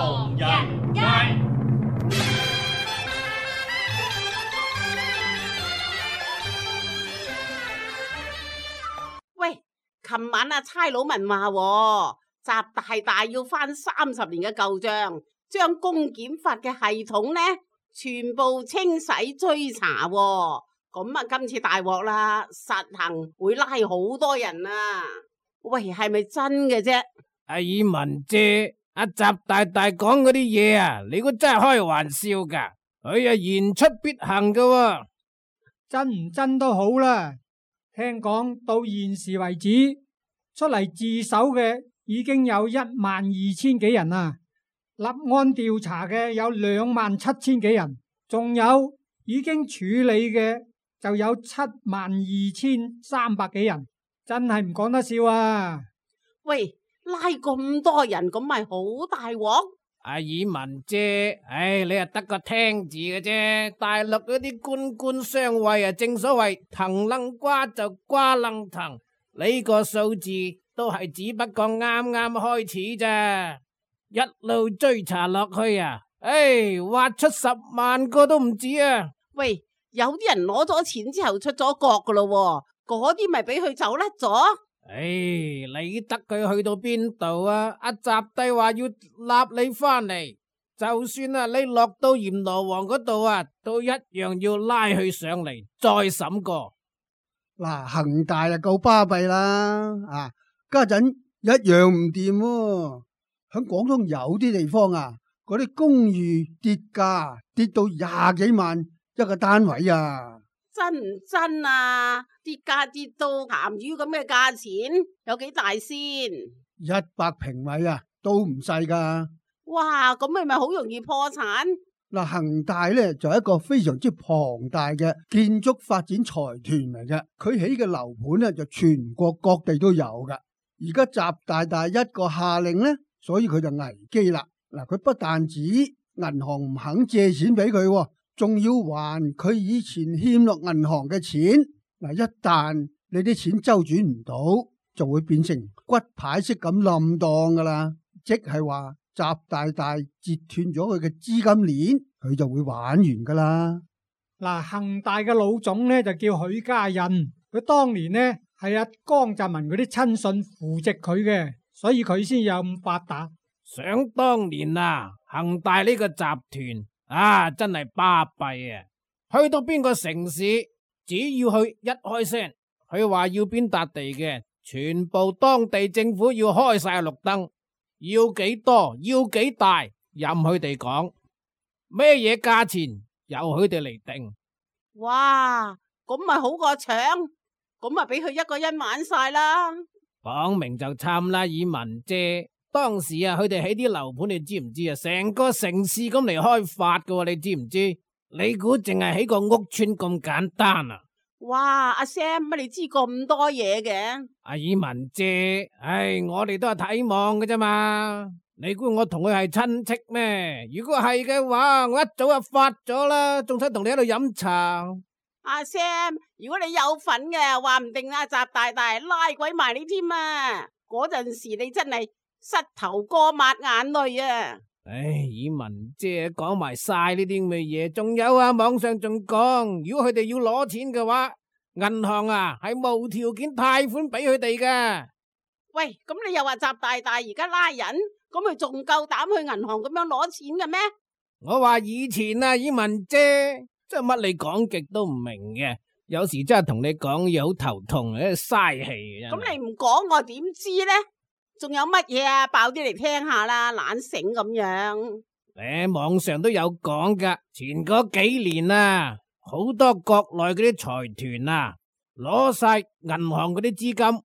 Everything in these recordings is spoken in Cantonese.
唐人街。喂，琴晚差佬問話，習大大要翻30年嘅舊賬，將公檢法嘅系統呢全部清洗追查喎。咁今次大鑊啦，實行會拉好多人啊！喂，係咪真嘅啫？阿爾文姐，阿習大大講嗰啲嘢啊，你估真係開玩笑噶？佢言出必行噶喎。真唔真都好啦。聽講到現時為止，出嚟自首嘅已經有12000幾人啦，立案調查嘅有27000幾人，仲有已經處理嘅就有72300幾人，真係唔講得笑啊！喂，拉咁多人咁咪好大鑊？阿爾文姐，你係得個聽字嘅啫。大陸嗰啲官官相衛啊，正所謂藤楞瓜就瓜楞藤，呢個數字都係只不過啱啱開始咋，一路追查落去啊，挖出10萬個都唔止啊！喂，有啲人攞咗錢之後出咗國噶咯，嗰啲咪俾佢走甩咗？理得佢去到邊度啊？阿習帝話要立你翻嚟，就算啊你落到閻羅王嗰度啊，都一樣要拉佢上嚟再審過。嗱，恒大啊夠巴閉啦，家陣一樣唔掂喎。喺廣東有啲地方啊，嗰啲公寓跌價跌到20幾萬一個單位啊！真唔真啊？跌價跌到鹹魚咁嘅價錢，有幾大先？100平米啊，都唔細噶。哇，咁係咪好容易破產？嗱，恒大咧就係一個非常之龐大嘅建築發展財團嚟嘅，佢起嘅樓盤咧就全國各地都有噶。而家習大大一個下令咧，所以佢就危機啦。嗱，佢不但止銀行唔肯借錢俾佢，仲要還佢以前欠落銀行嘅錢。嗱，一旦你啲錢周轉唔到，就會變成骨牌式咁冧檔噶啦。即係話習大大截斷咗佢嘅資金鏈，佢就會玩完噶啦。嗱，恒大嘅老總呢就叫許家印，佢當年呢係阿江澤民嗰啲親信扶植佢嘅，所以佢先有咁發達。想當年啊，恒大呢個集團真係巴閉啊！去到邊個城市，只要去一開聲，佢話要邊笪地嘅，全部當地政府要開晒綠燈，要幾多，要幾大，任佢哋講，咩嘢價錢由佢哋嚟定。哇，咁咪好過搶，咁咪俾佢一個人玩晒啦。講明就參啦，以文啫。當時啊，佢哋起啲樓盤，你知唔知啊？成個城市咁嚟開發噶，你知唔知？你估淨係起個屋村咁簡單啊？哇，阿 Sam 乜你知咁多嘢嘅？阿以文姐，我哋都係睇望嘅啫嘛。你估我同佢係親戚咩？如果係嘅話，我一早就發咗啦，仲使同你喺度飲茶？阿 Sam，如果你有份嘅，話唔定阿習大大拉鬼埋你添啊！嗰陣時你真係膝頭哥抹眼淚啊！以文姐講埋晒呢啲咁嘅嘢，仲有啊，網上仲講，如果佢哋要攞錢嘅話，銀行係無條件貸款俾佢哋噶。喂，咁你又話習大大而家拉人，咁佢仲夠膽去銀行咁樣攞錢嘅咩？我話以前啊，以文姐真係乜你講極都唔明嘅，有時真係同你講嘢好頭痛，嘥氣。咁你唔講我點知呢？仲有乜嘢啊？爆啲嚟聽下啦，懶醒咁樣。網上都有講噶，前嗰幾年啊，好多國內嗰啲財團攞晒銀行嗰啲資金，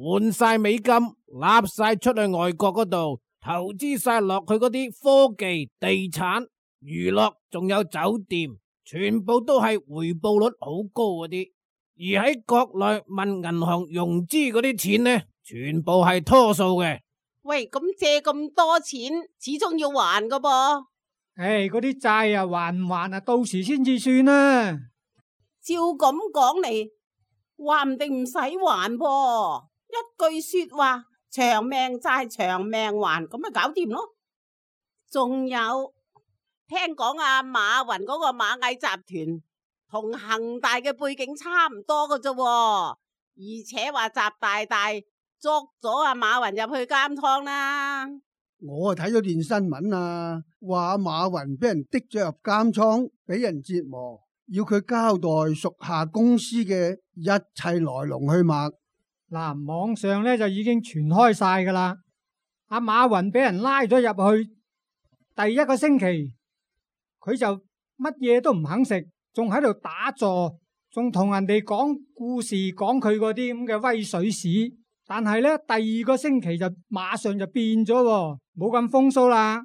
換晒美金，納晒出去外國嗰度，投資晒落去嗰啲科技、地產、娛樂，仲有酒店，全部都係回報率好高嗰啲。而喺國內問銀行融資嗰啲錢呢，全部係拖數嘅。喂，咁借咁多錢，始終要還噶噃。嗰啲債還唔還到時先至算啦。照咁講嚟，話唔定唔使還噃。一句說話，長命債長命還，咁咪搞掂咯。仲有聽講阿馬雲嗰個螞蟻集團同恒大嘅背景差唔多㗎啫，而且話習大大捉咗阿馬雲入去監倉啦。我睇咗段新聞啊，話馬雲俾人滴咗入監倉，俾人折磨，要佢交代屬下公司嘅一切來龍去脈。嗱，網上咧就已經傳開晒噶啦。阿馬雲俾人拉咗入去，第一個星期佢就乜嘢都唔肯食，仲喺度打坐，仲同人哋講故事，講佢嗰啲咁嘅威水史。但係咧，第二個星期就馬上就變咗，冇咁風騷啦。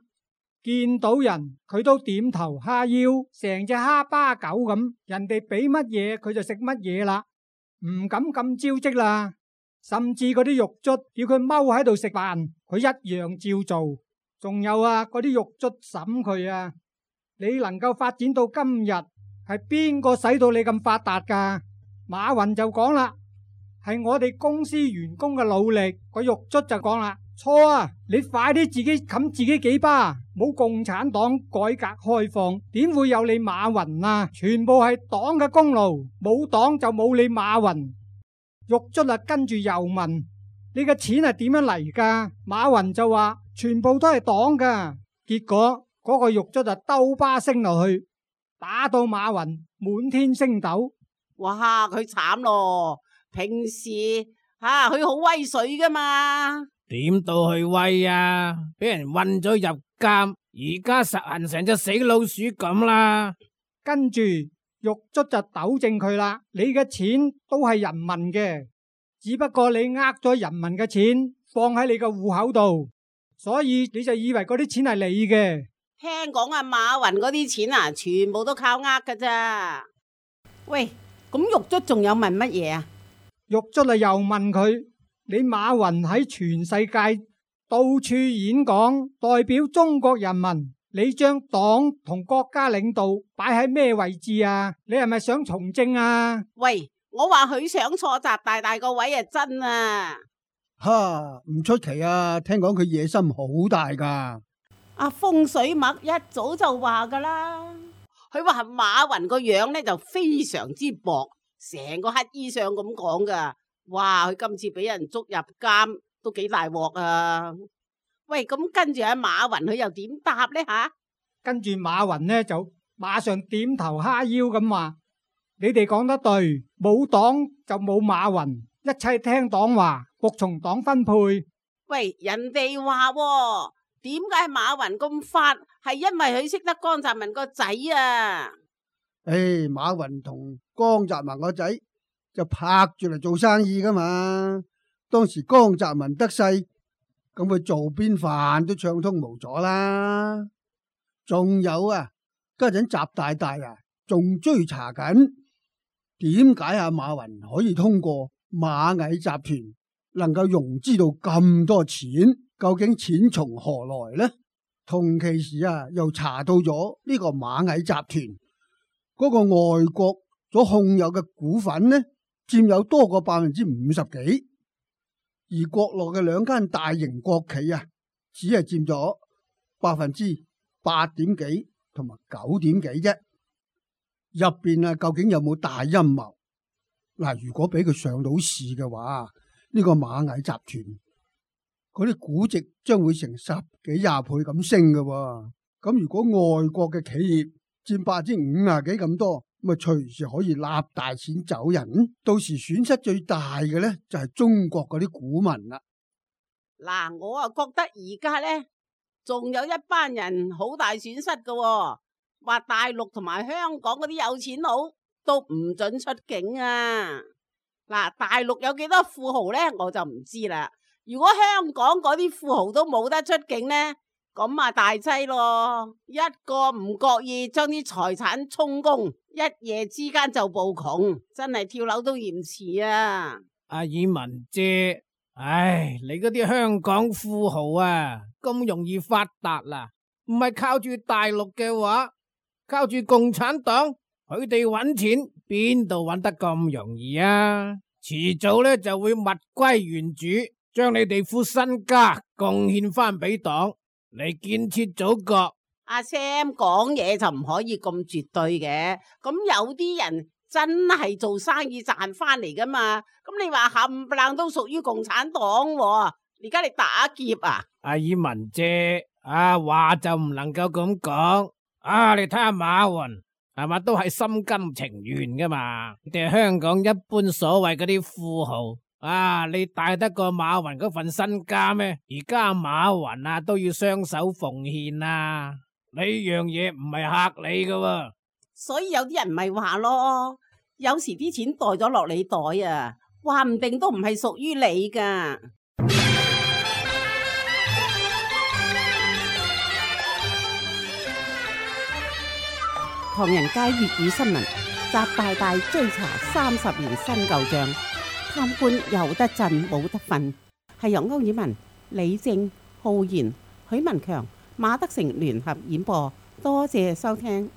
見到人佢都點頭哈腰，成隻哈巴狗咁，人哋俾乜嘢佢就食乜嘢啦，唔敢咁招積啦。甚至嗰啲獄卒叫佢踎喺度食飯，佢一樣照做。仲有啊，嗰啲獄卒審佢啊，你能夠發展到今日，係邊個使到你咁發達噶？馬雲就講啦，係我哋公司員工嘅努力。個獄卒就講啦，錯啊，你快啲自己冚自己幾巴，冇共產黨改革開放，點會有你馬雲啊？全部係黨嘅功勞，冇黨就冇你馬雲。獄卒啊，跟住又問你嘅錢係點樣嚟噶？馬雲就話全部都係黨噶。結果嗰個獄卒就兜巴升落去，打到馬雲滿天星斗。哇，佢慘咯！平時佢好威水噶嘛，點到去威啊？俾人韞咗入監，而家實行成隻死老鼠咁啦。跟住獄卒就糾正佢啦，你嘅錢都係人民嘅，只不過你呃咗人民嘅錢放喺你個戶口度，所以你就以為嗰啲錢係你嘅。聽講阿馬雲嗰啲錢啊，全部都靠呃噶咋。喂，咁獄卒仲有問乜嘢啊？獄卒啊又問佢，你馬雲喺全世界到處演講，代表中國人民，你將黨同國家領導擺喺咩位置啊？你係咪想從政啊？喂，我話佢想坐習大大個位啊，真啊！唔出奇啊，聽講佢野心好大噶。阿風水脈一早就話噶啦，佢話馬雲個樣呢就非常之薄，成個乞衣相咁講噶。哇，佢今次俾人捉入監都幾大鑊啊！喂，咁跟住阿馬雲佢又點答呢吓？跟住馬雲呢就馬上點頭哈腰咁話：你哋講得對，冇黨就冇馬雲，一切聽黨話，服從黨分配。喂，人哋話點解馬雲咁發？係因為佢識得江澤民個仔啊！馬雲同江澤民個仔就拍住嚟做生意噶嘛。當時江澤民得勢，咁佢做邊飯都暢通無阻啦。仲有啊，家陣習大大啊，仲追查緊點解阿馬雲可以通過螞蟻集團能夠融資到咁多錢，究竟錢從何來呢？同其時啊，又查到咗呢個螞蟻集團嗰個外國所控有嘅股份呢，佔有多過50%幾，而國內嘅兩間大型國企啊，只係佔咗8點幾同埋9點幾啫。入邊啊，究竟有冇大陰謀？嗱，如果俾佢上到市嘅話，呢個螞蟻集團嗰啲估值將會成10幾20倍咁升嘅。咁如果外國嘅企業佔50%幾咁多，咁啊隨時可以立大錢走人，到時損失最大嘅呢，就係中國嗰啲股民啦。嗱，我啊覺得而家呢，仲有一班人好大損失嘅，話大陸同埋香港嗰啲有錢佬都唔准出境啊！嗱，大陸有幾多富豪呢？我就唔知啦。如果香港嗰啲富豪都冇得出境呢，咁啊大劑咯！一個唔覺意將啲財產充公，一夜之間就暴窮，真係跳樓都嫌遲啊！阿爾文姐，唉，你嗰啲香港富豪啊，咁容易發達啦？唔係靠住大陸嘅話，靠住共產黨，佢哋搵錢邊度搵得咁容易啊？遲早呢就會物歸原主，將你哋副身家貢獻翻俾黨。嚟建設祖國。阿 Sam 講嘢就唔可以咁絕對嘅，咁有啲人真係做生意賺翻嚟噶嘛，咁你話冚唪唥都屬於共產黨喎，而家你打劫啊？阿爾文姐，話就唔能夠咁講，你睇下馬雲係嘛，都係心甘情願噶嘛，你哋香港一般所謂嗰啲富豪。你大得過馬雲嗰份身家咩？而家馬雲都要雙手奉獻啊！呢樣嘢唔係嚇你噶喎。所以有啲人咪話咯，有時啲錢袋咗落你袋啊，話唔定都唔係屬於你噶。唐人街粵語新聞，習大大追查30年新舊賬，貪官有得震冇得瞓，係由歐爾文、李正、浩然、許文強、馬德成聯合演播，多謝收聽。